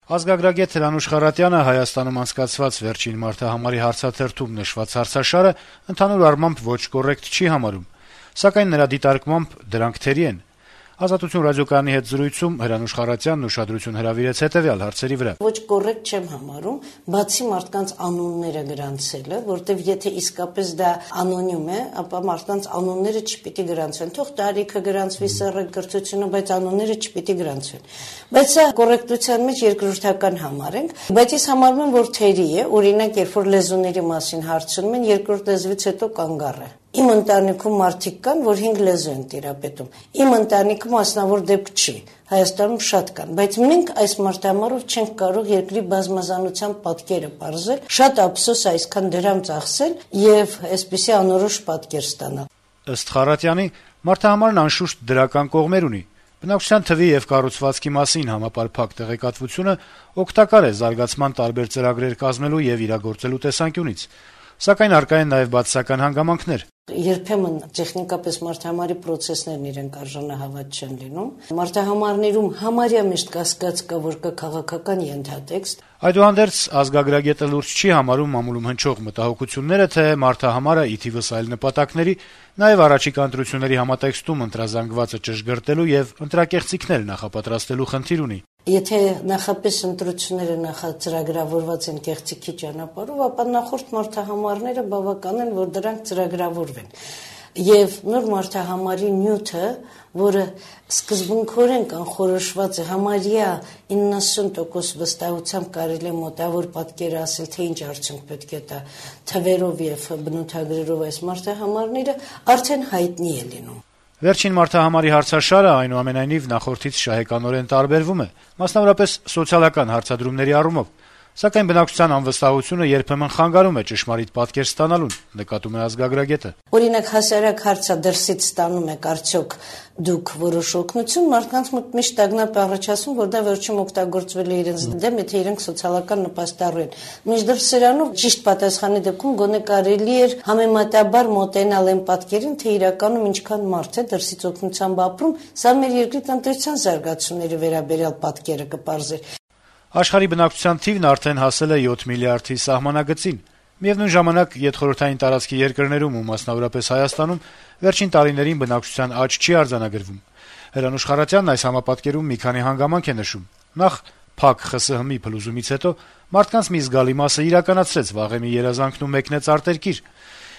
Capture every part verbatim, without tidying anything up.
Ազգագրագետ Հրանուշ Խառատյանը Հայաստանում անցկացված վերջին մարդահամարի հարցաթերթում նշված հարցաշարը ընդհանուր առմամբ ոչ կոռեկտ չի համարում, սակայն նրա դիտարկմամբ դրանք թերի են։ «Ազատություն» ռադիոկայանի հետ զրույցում Հրանուշ Խառատյանն ուշադրություն հրավիրեց հետեւյալ հարցերի վրա. Ոչ կոռեկտ չեմ համարում, բացի մարդկանց անունները գրանցելը, որտեվ եթե իսկապես դա անոնիմ է, ապա մարդկանց անունները չպիտի գրանցվեն։ Թող տարիքը գրանցվի, սեռը, կրթությունը, բայց անունները չպիտի գրանցվեն։ Բայց սա կոռեկտության մեջ երկրորդական համարենք, բայց ես համարում եմ, որ թերի է, օրինակ, երբ որ լեզուների մասին հարցնում են, երկրորդ լեզվից հետո կանգառ է։ Իմ ընտանիքում մարդիկ կան, որ հինգ լեզու են տիրապետում։ Իմ ընտանիքում մասնավոր դեպք չի, Հայաստանում շատ կան, բայց մենք այս մարդամարով չենք կարող երկրի բազմազանության պատկերը պարզել, շատ ափսոս այսքան դրամ ծախսել եւ այսպիսի անորոշ պատկեր ստանալ։ Ըստ Խառատյանի, մարդահամարն անշուշտ դրական կողմեր ունի։ Բնակչության թվի եւ կառուցվածքի մասին համապարփակ տեղեկատվությունը օգտակար է զարգացման տարբեր ծրագրեր կազմելու եւ իրագործելու տեսանկյունից, սակայն առկա են նաեւ բացասական հանգամանքներ։ Երբեմն տեխնիկապես մարդահամարի պրոցեսներն իրենք արժանահավատ չեն լինում։ Մարդահամարներում համարյա միշտ կասկած կա, որ կա քաղաքական ենթատեքստ։ Այդուհանդերձ ազգագրագետը լուրջ չի համարում մամուլում հնչող մտահոգությունները, թե մարդահամարը ի թիվս այլ նպատակների, նաեւ առաջիկա ընտրությունների համատեքստում ընտրազանգվածը ճշգրտելու եւ ընտրակեղծիքներ նախապատրաստելու խնդիր ունի։ Եթե նախապես ընտրությունները նախածրագրավորված են կեղծիքի ճանապարհով, ապա նախորդ մարդահամարները բավական են, որ դրանք ծրագրավորվեն։ Եվ նոր մարդահամարի նյութը, որը սկզբունքորեն կանխորոշված է, համարյա իննասուն տոկոս վստահությամբ կարելի է մոտավոր պատկերը ասել, թե ինչ արդյունք պետք է տա թվերով եւ բնութագրերով այս մարդահամարները, արդեն հայտնի է լինում։ Վերջին մարդահամարի հարցաշարը այնուամենայնիվ նախորդից շահեկանորեն տարբերվում է, մասնավորապես սոցիալական հարցադրումների առումով, սակայն բնակչության անվստահությունը երբեմն խանգարում է ճշմարիտ պատկեր ստանալուն, նկատում է ազգագրագետը։ Օրինակ հասարակ հարցը դրսից ստանում եք արդյոք դուք որոշ օգնություն, մարդկանց մոտ միշտ տագնապ է առաջացում, որ դա վերջում օգտագործվել է իրենց դեմ, եթե իրենք սոցիալական նպաստառու են։ Մինչդեռ սրանով ճիշտ պատասխանի դեպքում գոնե կարելի էր համեմատաբար մոտենալ այն պատկերին, թե իրականում ինչքան մարդ է դրսից օգնությամբ ապրում, սա մեր երկրի տնտեսության զարգացումների վերաբերյալ պատկերը կպարզեր։ Աշխարհի բնակչության թիվն արդեն հասել է յոթ միլիարդի սահմանագծին։ Միևնույն ժամանակ յետխորհրդային տարածքի երկրներում ու մասնավորապես Հայաստանում վերջին տարիներին բնակչության աճ չի արձանագրվում։ Հրանուշ Խառատյանն այս համապատկերում մի քանի հանգամանք է նշում։ Նախ փակ ԽՍՀՄ-ի փլուզումից հետո մարդկանց մի զգալի մասը իրականացրեց վաղեմի երազանքն ու մեկնեց արտերկիր։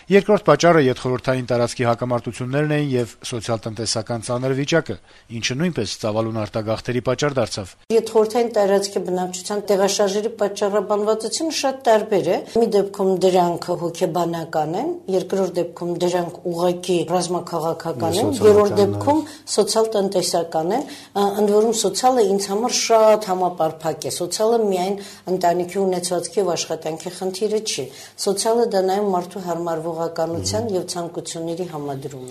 Երկրորդ պատճառը յետխորհրդային տարածքի հակամարտություններն էին եւ սոցիալ-տնտեսական ծանր վիճակը, ինչը նույնպես ծավալուն արտագաղթերի պատճառ դարձավ։ Յետխորհրդային տարածքի բնակչության տեղաշարժերի պատճառաբանվածությունը շատ տարբեր է։ Մի դեպքում դրանք հոգեբանական են, երկրորդ դեպքում դրանք ուղղակի ռազմաքաղաքական են, երրորդ դեպքում սոցիալ-տնտեսական են, ընդ որում սոցիալը ինձ համար շատ համապարփակ է։ Սոցիալը միայն ընտանիքի ունեցվածքի եւ աշխատանքի խնդիրը չի։ Սոցիալը դա նաեւ մարդու հարմարվող եւ ցանկությունների համադրում։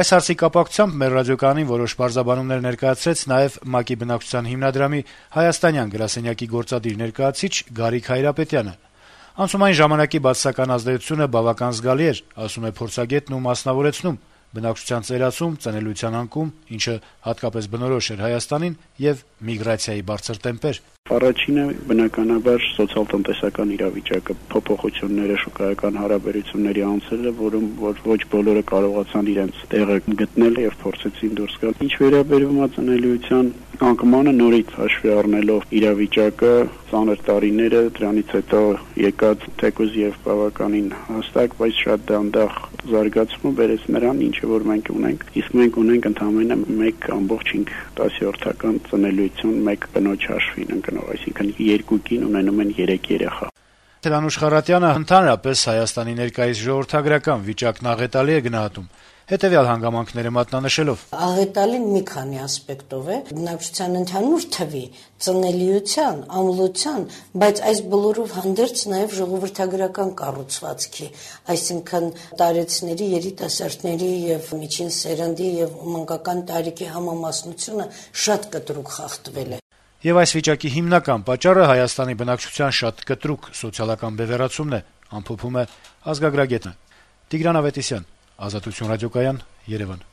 Այս հարցի կապակցությամբ մեր ռադիոկայանին որոշ բարձաբանումներ ներկայացրեց նաեւ ՄԱԿ-ի բնակչության հիմնադրամի հայաստանյան գրասենյակի գործադիր ներկայացուցիչ Գարիկ Հայրապետյանը։ Անցումային ժամանակի բացասական ազդեցությունը բավական զգալի էր, ասում է փորձագետն ու մասնավորեցնում. բնակչության ծերացում, ծնելիության անկում, ինչը հատկապես բնորոշ էր Հայաստանին, եւ միգրացիայի բարձր տեմպեր։ Առաջինը բնականաբար սոցիալ-տնտեսական իրավիճակը, փոփոխությունները, շուկայական հարաբերությունների անցելը, որում որ ոչ բոլորը կարողացան իրենց տեղը գտնել եւ փորձեցին դուրս գալ։ Ինչ վերաբերում է ծնելիության անկմանը, նորից հաշվի առնելով իրավիճակը, ծանր տարիները, դրանից հետո եկած թեկուզ եւ բավականին հստակ, բայց շատ դանդաղ զարգացումը բերեց նրան, ինչը որ մենք ունենք, իսկ մենք ունենք ընդամենը մեկ ամբողջ հինգ տասնորդական ծնելիություն, մեկ կնոջ հաշվին ընկնող, այսինքն երկու կին ունենում են երեք երեխա։ Հրանուշ Խառատյանը ընդհանրապես Հայաստանի ներկայիս ժողովրդագրական վիճակն աղետալի է գնահատում, հետեւյալ հանգամանքները մատնանշելով. Աղետալին մի քանի ասպեկտով է, բնակչության ընդհանուր թվի, ծնելիության, ամլության, բայց այս բոլորով հանդերձ նաև ժողովրդագրական կառուցվածքի, այսինքն տարեցների, երիտասարդների եւ միջին սերնդի եւ մանկական տարիքի համամասնությունը շատ կտրուկ խախտվել է։ Եվ այս վիճակի հիմնական պատճառը Հայաստանի բնակչության շատ կտրուկ սոցիալական բևեռացումն է, ամփոփում է ազգագրագետը։ Տիգրան Ավետիսյան, Ազատություն ռադիոկայան, Երևան։